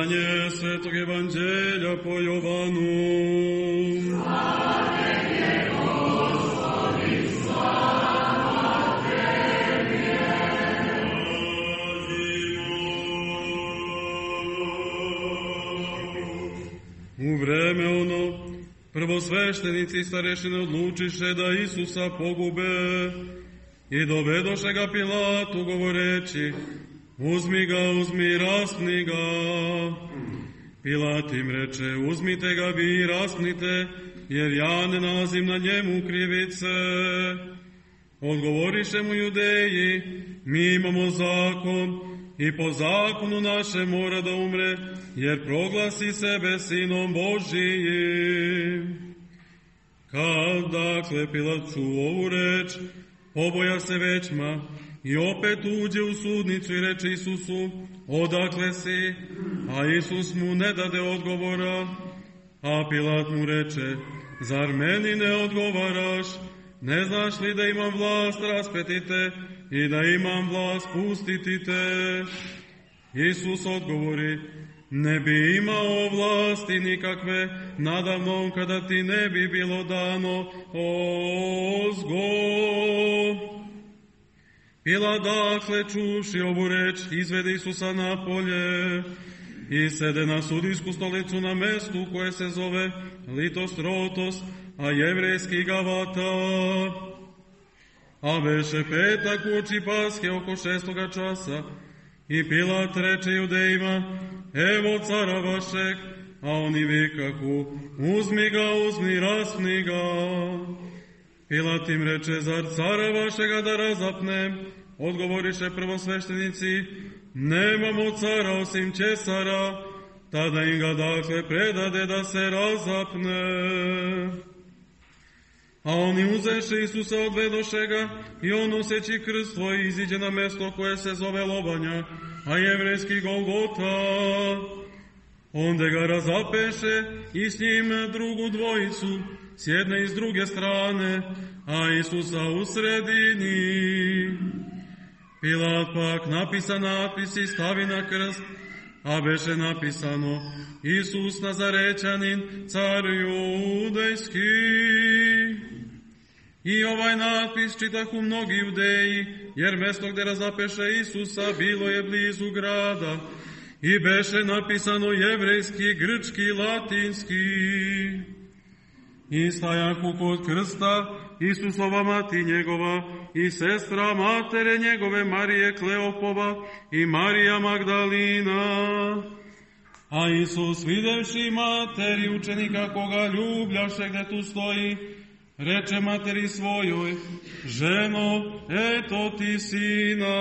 Čitanje Svetog Evanđelja po Jovanu. U vreme ono, prvosveštenici i starešine odlučiše da Isusa pogube i dovedoše ga Pilatu govoreći: uzmi ga, uzmi, raspni ga. Pilat im reče: uzmite ga vi i raspnite, jer ja ne nalazim na njemu krivice. Odgovoriše mu Judeji: mi imamo zakon i po zakonu naše mora da umre, jer proglasi sebe sinom Božijim. Kad dakle Pilat čuo ovu reč, poboja se većma i opet uđe u sudnicu i reče Isusu: odakle si? A Isus mu ne dade odgovora. A Pilat mu reče: zar meni ne odgovaraš? Ne znaš li da imam vlast raspeti te i da imam vlast pustiti te? Isus odgovori: ne bi imao vlasti nikakve nadamnom kada ti ne bi bilo dano ozgo. Pilat dakle čuvši ovu reč izvede Isusa napolje i sede na sudijsku stolicu na mestu koje se zove Litostrotos, a jevrejski Gavata. A beše petak uoči Paske oko 6. časa i Pilat reče Judejima: evo cara vašeg, a oni vikahu: uzmi ga, uzmi, raspni ga. Pilat im reče: zar cara vašega da razapnem? Odgovoriše prvosveštenici: nemamo cara osim Ćesara. Tada im ga dakle predade da se razapne. A oni uzeše Isusa, odvedoše ga, i on noseći krst svoj iziđe na mesto koje se zove Lobanja, a jevrejski Golgota. Onda ga razapeše i s njim drugu dvojicu, s jedne i s druge strane, a Isusa u sredini. Pilat pak napisa natpis i stavi na krst, a beše napisano: Isus Nazarećanin, car judejski. I ovaj natpis čitahu mnogi Judeji, jer mesto gde razapeše Isusa bilo je blizu grada, i beše napisano jevrejski, grčki, latinski. I stajahu kod krsta Isusova mati njegova i sestra matere njegove Marije Kleopova i Marija Magdalina. A Isus, videvši materi učenika koga ljubljaše gde tu stoji, reče materi svojoj: ženo, eto ti sina.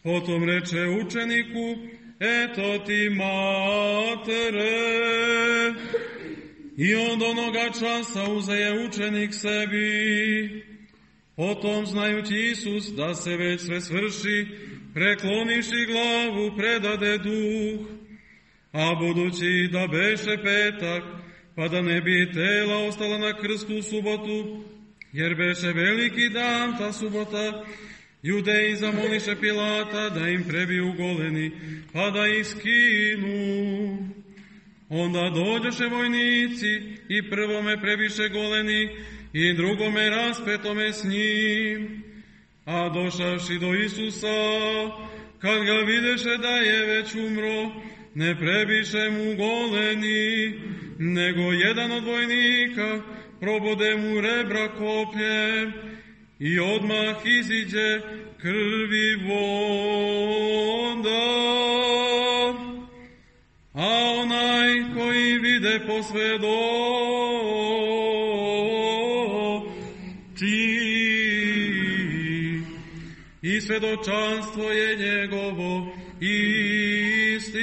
Potom reče učeniku: eto ti matere. I od onoga časa uzeje učenik sebi. Potom, znajući Isus da se već sve svrši, prekloniši glavu, predade duh. A budući da beše petak, pa da ne bi tela ostala na krstu u subotu, jer beše veliki dan ta subota, Judeji zamoliše Pilata da im prebiju goleni, pa da ih skinu. Onda dođoše vojnici i prvome prebiše goleni i drugome raspetome s njim. A došavši do Isusa, kad ga videše da je već umro, ne prebiše mu goleni, nego jedan od vojnika probode mu rebra kopljem i odmah iziđe krvi voda. A onaj koji vide posvedoči i svedočanstvo je njegovo istinito.